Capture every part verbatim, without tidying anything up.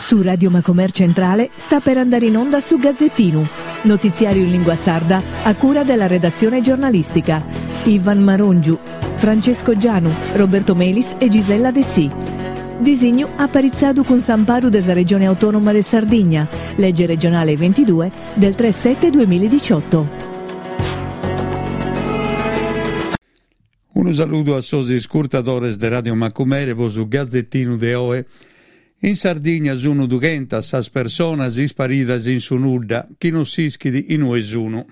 Su Radio Macomer Centrale sta per andare in onda su Gazzettinu, notiziario in lingua sarda a cura della redazione giornalistica. Ivan Marongiu, Francesco Gianu, Roberto Melis e Gisella Dessì. Disignu aparitzadu cun s'amparu de sa Regione Autonoma de Sardigna, legge regionale ventidue del tre sette duemiladiciotto. Unu saludu a sos iscurtadores de Radio Macumere po su Gazzettinu de oe. In Sardigna sunu dughentas sas personas isparidas in su nudda, chi non s'ischit inue sunu.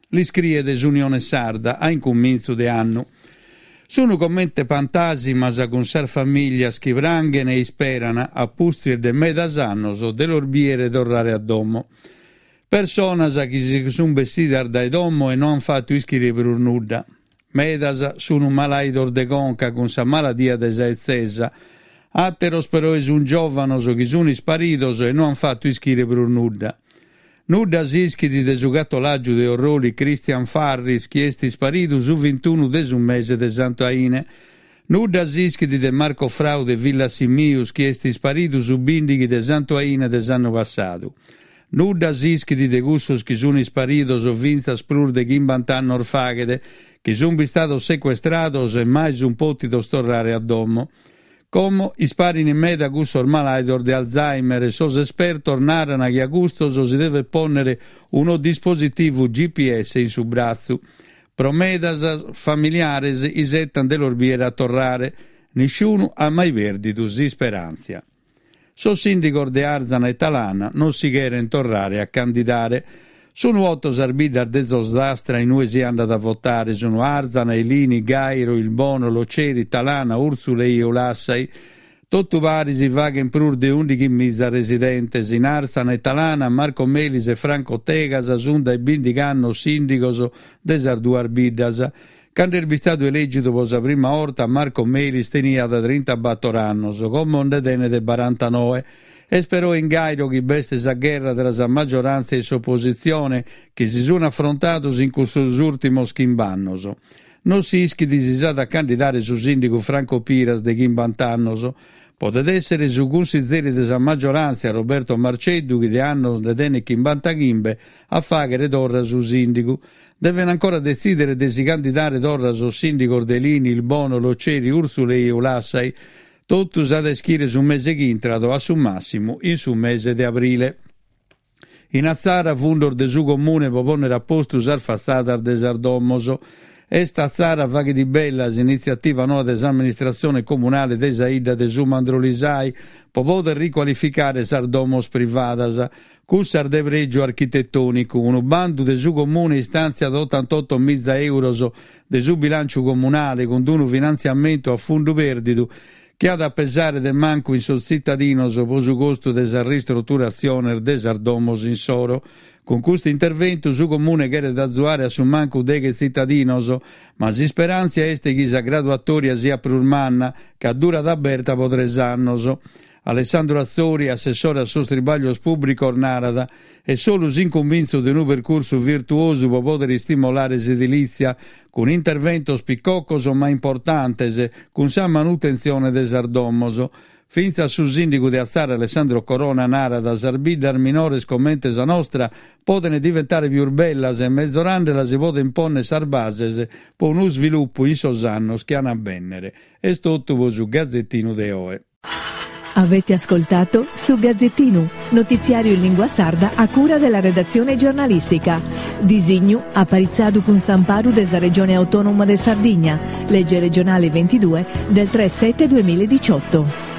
L'iscriet s'Unione Sarda a incumintzu de annu. Sunu comente pantàsimas cun sas famìlias chi pranghen e isperan, a pustis de medas annos, de los bìere torrare a domo. Personas chi si sun bessidas dae domo e no an fatu ischire prus nudda. Medas sunu malàidos de conca cun sa maladia de sa 'etzesa. Àteros peroe sun giòvanos chi sun isparidos e no an fatu ischire prus nudda. Nudda s'ischit de su catolàgiu de Orroli Christian Farris chi est isparidu su vintunu de su mese de Santu Aine. Nudda s'ischit de Marco Frau de Villasimius chi est isparidu su bìndighi de Santu Aine de s'annu passadu. Nudda s'ischit de cussos chi sun isparidos fintzas prus de chimbant'annos faghet, chi sun bistados secuestrados e mai sun pòtidos torrare a domo. Como isparin meda cussos malàidos de Alzheimer e sos espertos naran chi a custos si devet pònnere unu dispositivu G P S in su bratzu. Pro medas familiares isetan de los bìere a torrare. Nisciunu at mai pèrdidu s'isperàntzia. Sos sìndigos de Arzana e Talana non si cherent torrare a candidare. Sunu otto sas biddas de Zosastra in ue si andat a votare. Sunu Arzana, Elini, Gairo, Ilbono, Loceri, Talana, Urzulei e Ulassai. Totu pari si faghen prus de ùndighi miza residentes. In Arzana e Talana, Marco Melis e Franco Tegas sunt dae bìndighi annos sìndigos de sas duas biddas. Cando est bistadu elègidu pro sa prima orta, Marco Melis teniat trintabattor annos, como nde tenet barantanoe. Est però in Gairo chi b'est sa gherra tra sa maggioranza e s'oppositzione, chi si sun affrontados in custos ùrtimos chimb'annos. Non s'ischit si s'at a candidare su sìndigu Franco Piras de chimbant'annos. Podet èssere su cunsizeri de sa maggioranza Roberto Marceddu, chi de annos nde tenet chimbantachimbe, a fàghere torra su sìndigu. Deven ancora detzìdere de si candidare torra sos sìndigos de Elini, Ilbono, Loceri, Urzulei e Ulassai. Totu s'at a ischire su mese ch'intrat o a su màssimu in su mese de abrile. In Atzara, fundos de su Comune pro pònnere a postu sas fatzadas de sas domos. Est Atzara faghet bella s'initziativa noa de s'amministratzione comunale de sa 'idda de su Mandrolisai pro poder ricualificare sas domos privadas, cussas de prègiu architetònicu. Unu bandu de su Comune istàntziat otantotto miza euros de su bilànciu comunale cun unu finantziamentu a fundu pèrdidu chi at a pesare de mancu in sos tzitadinos pro su costu de sas ristruturatziones de sas domos insoro. Cun custu interventu su Comune cheret azuare a su mancu deghe tzitadinos, ma s'isperàntzia est chi sa graduatòria siat prus manna, ca durat aberta pro tres annos. Alessandro Atzori, assessore a sos tribaglios pùblicos, narat: est solu s'incumintzu de unu percursu virtuosu pro poder istimolare s'edilìtzia, cun interventos picocos ma importantes, cun sa manutentzione de sas domos. Fintzas su sìndigu de Atzara Alessandro Corona narat: sas biddas minores comente sa nostra poden diventare pius bellas e mezorandela si poden ponner sas bases pro unu sviluppu in sos annos chi an a bennere. Est totu pro su Gazzettinu de oe. Avete ascoltato su Gazzettinu, notiziario in lingua sarda a cura della redazione giornalistica. Disignu aparitzadu cun s'amparu de sa Regione Autonoma de Sardigna, legge regionale ventidue del tre sette duemiladiciotto.